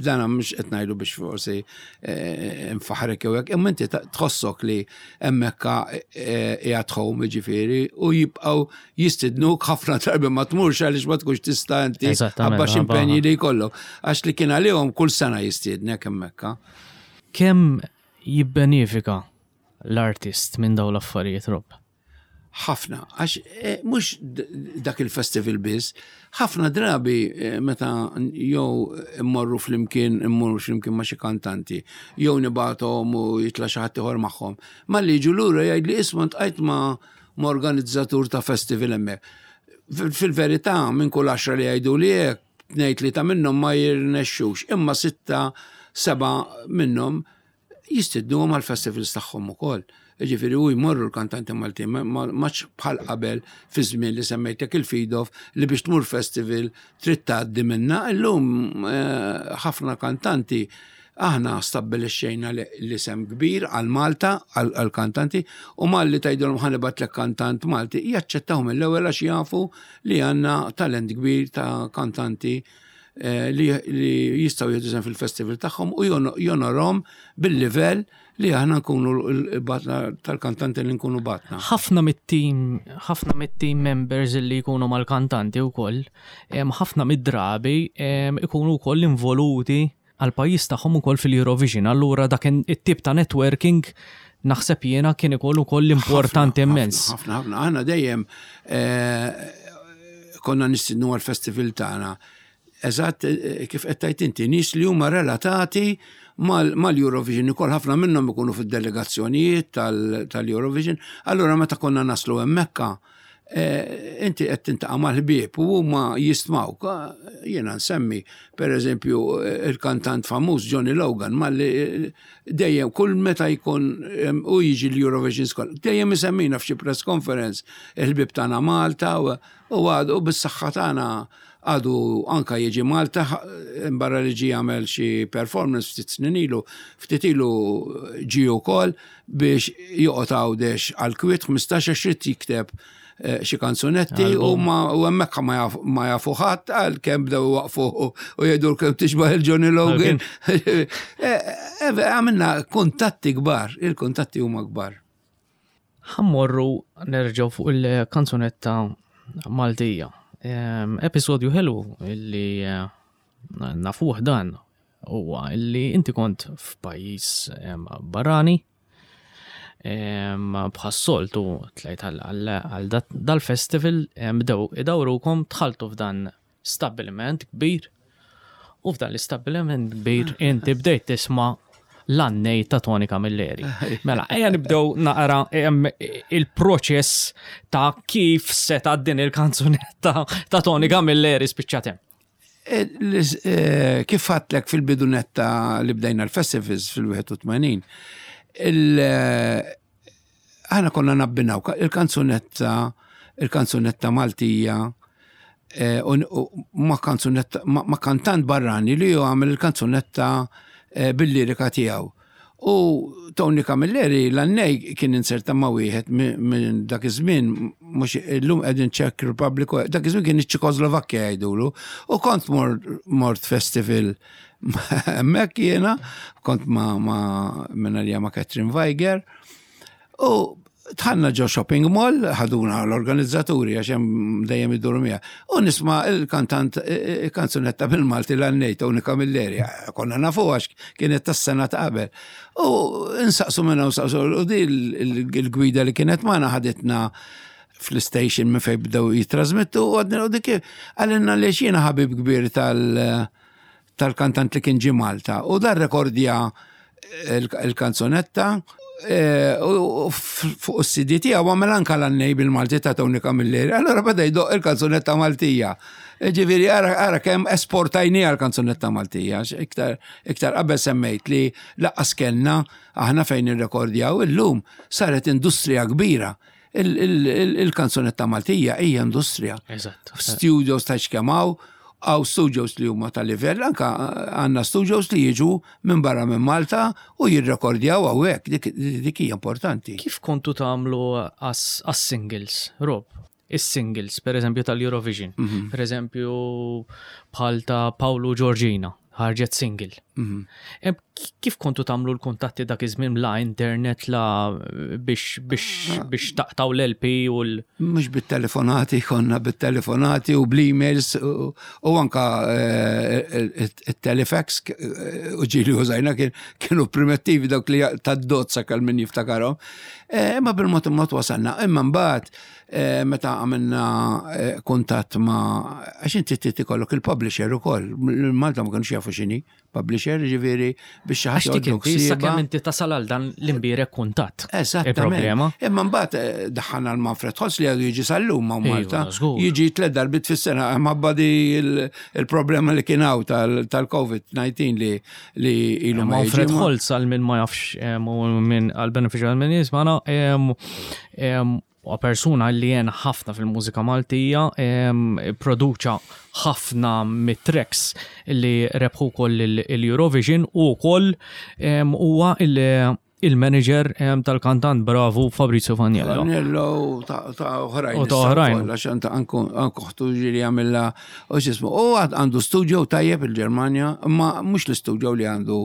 Speaker 3: Dana mhux qed ngħidu biex forsi eh, nfaħrek jew hekk, imma inti ta- tħossok li hemmhekk qiegħed home, ġifieri, u jibqgħu jistidnuk ħafna drabi ma tmurx għaliex ma tkunx tista' inti
Speaker 2: Eżattament,
Speaker 3: ħabba x'impenji
Speaker 2: ħabba-
Speaker 3: li jkollok. Għax li kien għalihom kull sena jistiednek hemmhekk.
Speaker 2: Kemm jibbenefika l-artist minn dawn l-affarijiet, Rob?
Speaker 3: Ħafna, għax eh, mhux d- dak il-festival biss, ħafna drabi eh, meta jew immorru flimkien, immorru flimkien ma' xi kantanti, jew nibgħathom u jitla' xi ħadd ieħor magħhom. Malli jiġu lura jgħid li isma' ltqajt ma' ma' organizzatur ta' festival hemmhekk. Fil- Fil-verità, minn kull għaxra li jgħidu li hekk, tnejn li ta' minnhom ma jirnexxux, imma sitta, seba' minnhom jistidnuhom għal festivals tagħhom ukoll. Ġifieri u jmorru l-kantanti Maltin, ma- ma maċ bħal qabel fi żmien li semmejtek il-feed-off li biex tmur festival trid tgħaddi minna. Illum eh, ħafna kantanti, aħna stabbilixxejna li- l-isem kbir għal Malta, għal għal kantanti, u malli tgħidulhom ħa nibgħatlek kantant Malti, jaċċettaw mill-ewwel għax jafu li għandna talent kbir ta' kantanti eh, li, li jistgħu jieħdu sehem fil-festival tagħhom u jono- jonorhom bil-livell li aħna nkunu l-batna tal-kantanti li nkunu bagħatna.
Speaker 2: Ħafna mit-team, ħafna mit-team members li jkunu mal-kantanti wkoll, em, ħafna mid-drabi em, ikunu wkoll involuti għal pajjiż tagħhom ukoll fil-Eurovision. Allura dak it-tip ta' networking naħseb jiena kien ikollu ukoll importanti
Speaker 3: Ħafna,
Speaker 2: immens.
Speaker 3: Ħafna, ħafna. Aħna dejjem eh, konna nistidnu għal-festival tagħna. Eżatt eh, kif qed tgħid inti, nies li huma relatati mal- mal-Eurovision, ukoll ħafna minnhom ikunu fid-delegazzjonijiet tal- tal-Eurovision. Allura meta konna naslu hemmhekka, eh, inti qed tintaqa' mal-ħbieb u huma jistmawk. Ah, jiena nsemmi, per eżempju, eh, il-kantant famuż Johnny Logan, malli eh, dejjem kull meta jkun em, u jiġi l-Eurovision School, dejjem isemmina f'xi press conference il-ħbieb tagħna Malta u u għadu u bis-saħħa tagħna għadu anka jiġi Malta, barra li ġi jagħmel xi performance ftit snin ilu, ftit ilu ġi wkoll biex joqgħod Għawdex għal kwiet ħmistax għax irid jikteb eh, xi kanzunetti u ma u hemmhekk ma jaf- ma jafu ħadd, għal kemm bdew waqfu u jgħidu kemm tixbaħ il-Johnny Logan. Eh, eh, Għamilna kuntatti kbar, il-kuntatti huma kbar.
Speaker 2: Ħa mmorru nerġgħu fuq il-kanzunetta Maltija. Em, Episodju ħelu illi eh, nafuh dan huwa illi inti kont f'pajjiż em, barrani em, bħas-soltu tlajt għal- għal għal dat- dal-festival em, bdew idawrukom dħaltu f'dan stabbiliment kbir u f'dan l-istabbiliment kbir inti bdejt tisma' l-Għannej ta' Tony Camilleri. Mela, ejja nibdew naqra em, il-proċess ta' kif seta' din il-kanzunetta ta' Tony Camilleri spiċċat hemm.
Speaker 3: E, l- e, Kif għedtlek fil-bidunetta li bdejna l-festivals fil-wieħed u tmenin, il- eh, aħna konna nabbinaw ka- il-kanzunetta il-kanzunetta Maltija eh, u u ma kanzunetta ma ma kantant barrani li ju għamel il-kanzunetta eh, bil-lirika tiegħu. U Tony Camilleri l-Għannej kien inserta ma' wieħed mi- minn dak iż-żmien, mhux illum qegħdin Czech Republic, dak iż-żmien kien iċ-Ċekoslovakkja jgħidulu. U kont mor- mort festival hemmhekk jiena, kont ma' ma' minn għalija ma' Catherine Weiger. U dħalna ġo shopping mall, ħaduna l-organizzaturi għax hemm dejjem iduru miegħi. U nisma' il-kantant il-kanzunetta bil-Malti l-Għannej Tony Camilleri. Konna nafu għax kienet tas-sena ta' qabel. U insaqsu minna u saqsu u di il-gwida li kienet magħna ħaditna fl-station minn fejn bdew jitrasmittu u għadna u dik għalinna li jiena ħabib kbir tal- tal-kantant li kien ġi Malta. U dar rekordja il-kanzunetta eh, u fuq is-C D tiegħu għamel anka l-Għannej bil-Malti ta' Tony Camilleri. Allora beda jdoq il-kanzunetta Maltija. Ġifieri ara ara kemm esportajni għal-kanzunetta Maltija. Għax Iktar iktar qabel semmejt li lanqas kellna aħna fejn irrekordjaw, illum saret industrija kbira. Il- il- il- Il-kanzunetta Maltija hija industrija.
Speaker 2: Eżatt.
Speaker 3: Studios ta' xkemaw, għaw studios li huma ta' livell, anka għandna studios li jiġu minn barra minn Malta u jirrekordjaw hawnhekk, dik dik hija importanti.
Speaker 2: Kif kontu tagħmlu għas-singles, Rob? Is-singles, per eżempju, tal-Eurovision. Per eżempju, bħal ta' Paolo Georgina, ħarġet single. Em, Kif kontu tagħmlu l-kuntatti dak iż-żmien, la internet, la biex biex biex taqtaw l-L P u l-
Speaker 3: Mhux bit-telefonati, konna bit-telefonati u bl-emails u u anka eh, il-telefax eh, u ġili użajna kien- kienu primittivi dawk li tad-dozza kal min jiftakarhom. Eh, Imma bil-mod il-mod wasalna. Imma mbagħad eh, meta għamilna eh, kuntatt ma' għax inti trid ikollok il-publisher ukoll. Malta ma kienux jafu x'inhi publisher, ġifieri biex xi
Speaker 2: Għax
Speaker 3: ħadd
Speaker 2: dik
Speaker 3: joħodlok
Speaker 2: inti, issa
Speaker 3: sieba.
Speaker 2: kemm inti tasal għal dan l-imbierek kuntatt.
Speaker 3: Eżattament.
Speaker 2: Il-problema.
Speaker 3: Imma mbagħad eh, daħħalna l-Manfred Holz li għadu jiġi sal-lum ma'
Speaker 2: Iva,
Speaker 3: Malta.
Speaker 2: żgur.
Speaker 3: Jiġi tliet darbiet fis-sena minħabba di il- il-problema li kien hawn tal-COVID disgħa li li ilu ma
Speaker 2: Manfred
Speaker 3: jiġi. ma-
Speaker 2: Holz, għal min ma jafx em, u min għal beneficju għal min jismana, em, em, huwa persuna li jen ħafna fil-mużika Maltija, em, produċa ħafna mit-tracks li rebħu koll il-Eurovision u koll em, huwa il- il-manager em, tal-kantant bravu Fabrizio Faniello.
Speaker 3: Faniello u ta' ta' oħrajn.
Speaker 2: U ta' oħrajn.
Speaker 3: Għax anta anku anku ħtu ġiri għamilla u x'ismu. U għad għandu studio tajjeb il-Ġermanja, imma mhux l-studio li għandu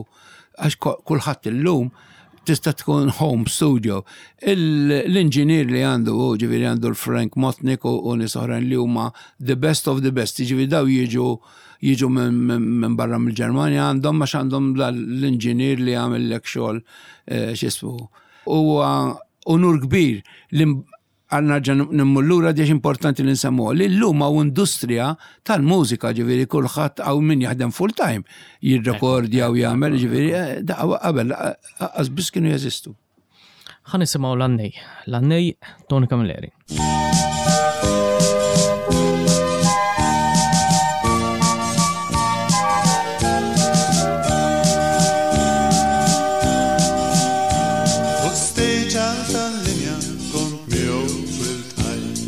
Speaker 3: għax ko- kulħadd illum tista' tkun home studio. Il- L-inġinier li għandu, u ġifieri għandu l-Frank Motnik u u nies oħrajn li huma the best of the best. Ġifieri daw jiġu jiġu minn min, min barra mill-Ġermanja għandhom għax għandhom l-inġinier li għamillek xogħol eh, x'ismu. Huwa unur kbir li għanna ġan nimmullura diġ importanti li nsemmu li l-lum hawn industrija tal-mużika, ġifieri kulħadd hawn min jaħdem full time jirrekordja u jagħmel, ġifieri eh, da qabel qas biss kienu jeżistu.
Speaker 2: Ħa nisimgħu l-Għannej. L-Għannej Tony Camilleri.
Speaker 4: Fuq stage tal-linja kont miegħu fil-tajt.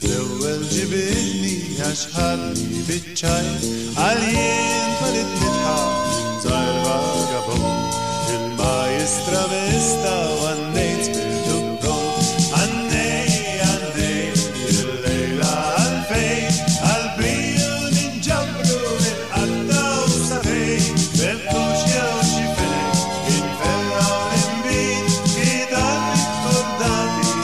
Speaker 4: L-ewwel ġibidni għax ħadni biċ-ċajt. Għal jien twalit nidħaq minn żgħir vagabond. Il-majstra mista u għannejt spirtu pront. Għannej, għannej, il-lejla għalfejn. Għal-briju ninġabru nitqattaw sa fejn. Bebtux jew xi fenek, inferraw l-imbit, kidan kordati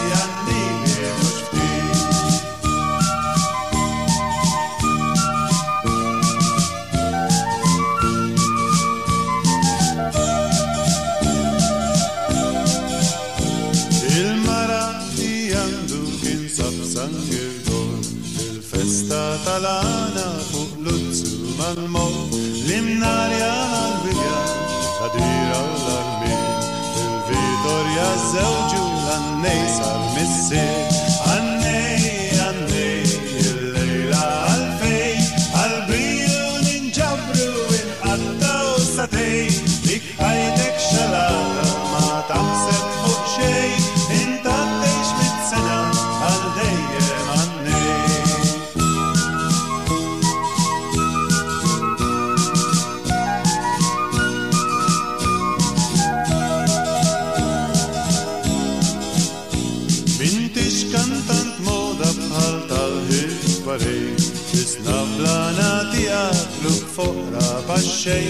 Speaker 4: Festa tal-għana fuq luzzu mal-mod, l-imnarja mal-wirja, l-għadira u l-armin, il-Vitorja żewġu l-għannej sal-missier. Għannej, għannej, il-lejla għalfej, għal-briju ninġabru inqattaw satej, dik ħajtek xalata ma taħseb fuq xej, inta tgħix mitt sena għal dejjem għannej. M'intix kantant moda bħal tal-ħif barej, tisna blana tiegħek luk foqra baxxej,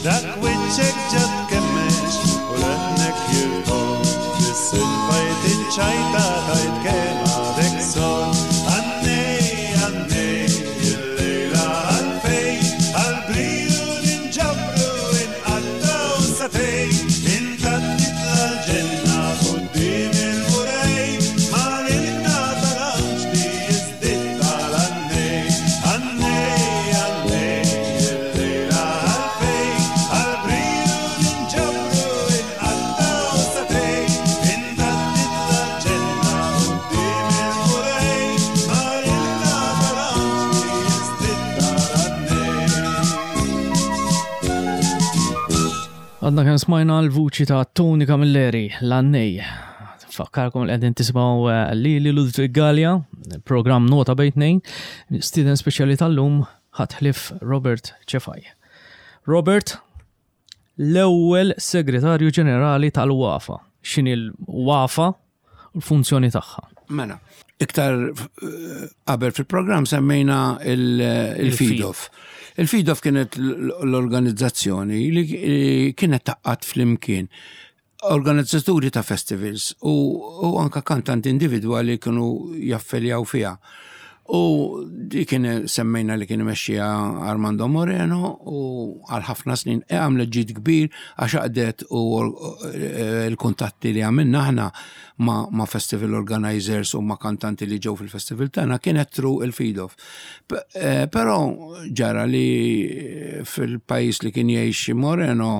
Speaker 4: dak wiċċek ġat kemmex u leħnek jirtol, biss il-fajt iċ-ċajta tajt kemm għadek sol. Għannej, għannej, il-lejla għalfej, għal-briju ninġabru inqattaw satej, inta titla l-ġenna quddiem il-murej, ma lilna tal-anġli jiżdied tal-għannej. Għannej, għannej, il-lejla għalfej, għal-briju ninġabru inqattaw satej, inta titla l-ġenna quddiem il-murej, ma lilna tal-anġli jiżdied tal-għannej.
Speaker 2: Għadna kemm smajna l-vuċi ta' Tony Camilleri, l-għannej. Fakkarkom li qegħdin tisimgħu eh, lili Ludwig Gallia, program Nota Bejn Tnejn, student speċjali tal-lum ħatħlif Robert Cefai. Robert, l-ewwel segretarju ġenerali tal-WAFA. X'inhi l-WAFA u l-funzjoni tagħha?
Speaker 3: Mela, iktar eh, qabel fil-programm semmejna il- il-FIDOF. Il-FIDOF kienet l- l-organizzazzjoni li kienet tgħaqqad flimkien organizzaturi ta' festivals u, u anka kantanti individwali kienu jaffiljaw fiha. U di kien semmejna li kien imexxija Armando Moreno u għal ħafna snin e għamlet ġid kbir għax għaqdet u eh, l-kuntatti li għamilna aħna ma, ma festival organizers u ma kantanti li ġew fil-festival tagħna kienet through il-FIDOF. P- eh, Però ġara li fil-pajjiż li kien jgħix Moreno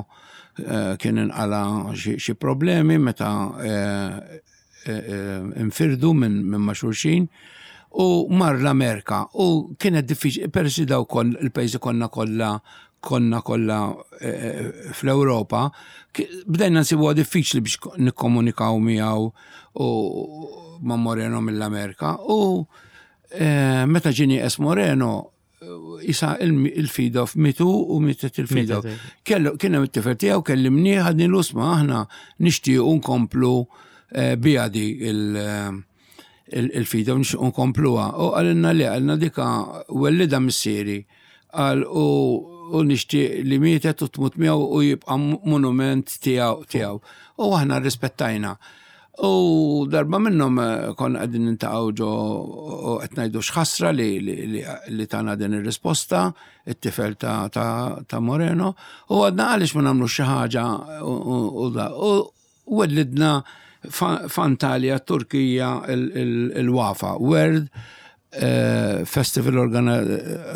Speaker 3: eh, kien inqala xi xi problemi meta eh, eh, eh, infirdu minn minn ma' xulxin u mar l-Amerika u kienet diffiċli peress li daw kon il-pajjiżi konna kollha konna kollha eh, fl-Ewropa, ki- bdejna nsibuha diffiċli biex ko- nikkomunikaw miegħu u ma' Moreno mill-Amerika u eh, meta ġini es Moreno isa il-FIDOF mitu u mietet il-FIDOF.
Speaker 2: Mietet,
Speaker 3: Kellu kien hemm it-tifel tiegħu kellimni ħadni l-usma aħna nixtiequ nkomplu eh, biha di il- il- il-FIDOF nixtiequ nkompluha. U qalilna li qalilna dika wellida missieri qal u u nixtieq li mietet u tmut miegħu u jibqa' monument tiegħu tiegħu. U aħna rispettajna. U darba minnhom eh, konna qegħdin niltaqgħu ġo u qed ngħidu x'ħasra li, li, li, li tana din ir-risposta, it-tifel ta', ta, ta' Moreno, u għadna għaliex ma nagħmlu xi ħaġa u, u, u, da. U wellidna fa- f'Antalja, Turkija, il-WAFA, World eh, Festival Organi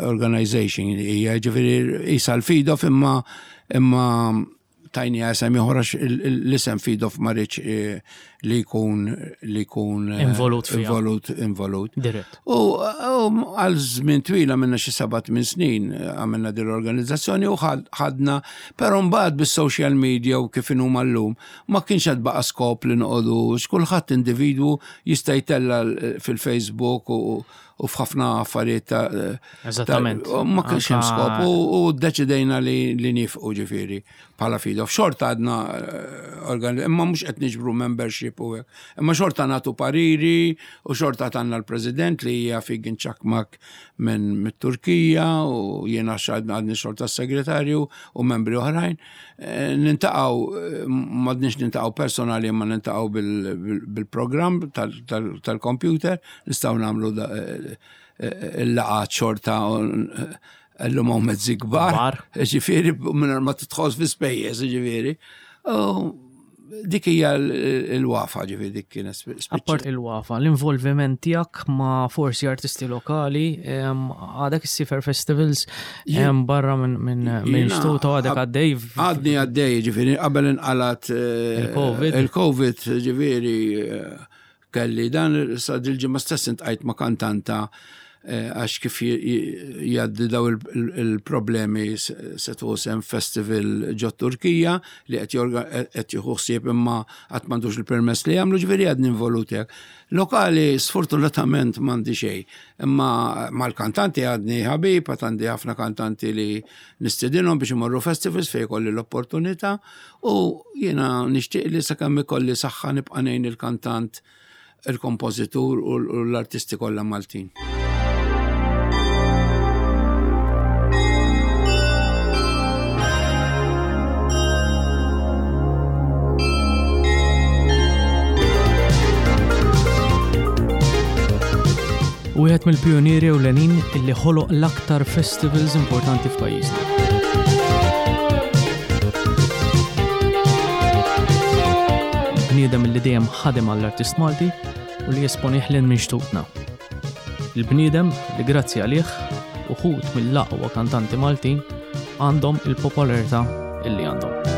Speaker 3: Organization, hija ġifieri isa l-FIDOF imma imma tajni isem ieħor għax il- il- l-isem FIDOF ma riedx eh, li jkun li jkun eh,
Speaker 2: Involut fiha.
Speaker 3: Involut, involut.
Speaker 2: Dirett.
Speaker 3: U u għal żmien twila minna xi seba' tmien snin eh, għamilna din l-organizzazzjoni u ħad- ħadna, però mbagħad bis-social media u kif inhuma llum ma kienx qed baqa' skop li noqogħdu x'kulħadd individwu jista' jtella l- fil-Facebook u u f'ħafna affarijiet ta' ta'
Speaker 2: Eżattament.
Speaker 3: u ma kienx hemm
Speaker 2: Anka-
Speaker 3: skop u, u ddeċidejna li, li nifqu ġifieri bħala FIDOF. Xorta għadna eh, organi- imma mhux qed niġbru membership u hekk. Imma xorta nagħtu pariri u xorta għandna l-President li hija Figin Çakmak minn mit-Turkija u jiena xadna għadni xorta s-segretarju u membri oħrajn. Eh, Niltaqgħu, eh, m'għadniex niltaqgħu personali imma niltaqgħu bil- bil- bil-programm tal- tal- tal-computer, nistgħu nagħmlu da- eh, eh, il-laqgħat xorta l-lum hawn mezzi kbar.
Speaker 2: Kbar.
Speaker 3: Ġifieri, minn ma tidħolx fi spejjeż, ġifieri. U Dik hija l-Wafa, ġifieri dik kienet spiċċa.
Speaker 2: Appart il-Wafa, l-involviment tiegħek ma' forsi artisti lokali, għadek issiefer festivals barra minn minn xtuta, għadek għaddej.
Speaker 3: Għadni għaddej, ġifieri qabel inqalat
Speaker 2: il-Covid.
Speaker 3: Il-Covid, ġifieri kelli dan sa dil-ġimgħa stess intqajt ma' kantanta għax kif jgħaddi daw il-problemi se sem festival ġo Turkija li qed jieħu ħsieb imma qatt m'għandux il-permess li jagħmlu, ġifieri għadni involut hekk. Lokali sfortunatament m'għandi xejn, imma mal-kantanti għadni ħabib, għad għandi ħafna kantanti li nistedinhom biex imorru festivals fejn ikolli l-opportunità u jiena nixtieq li sakemm ikolli saħħa nibqa' ngħin il-kantant, il-kompożitur u l-artisti kollha Maltin.
Speaker 2: Wieħed mill-pionieri ewlenin illi ħoloq l-aktar festivals importanti f'pajjiżna. Il-bniedem illi dejjem ħadem għall-artist Malti u li jesponih lil minn xtutna. Il-bniedem li grazzi għalih uħud mill-aqwa kantanti Maltin għandhom il-popolarità illi għandhom.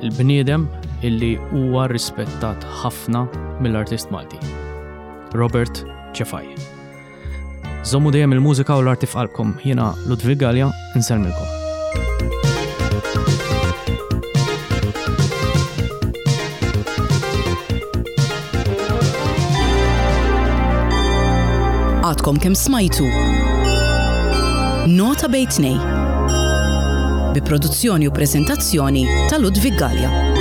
Speaker 2: Il-bniedem illi huwa rispettat ħafna mill-artist Malti, Robert Cefai. Żommu dejjem il-mużika u l-arti f'qalbkom. Jiena Ludwig Galea, insellmilkom.
Speaker 1: Għadkom kemm smajtu Nota bejn tnejn bi produzzjoni u prezentazzjoni ta' Ludwig Galea.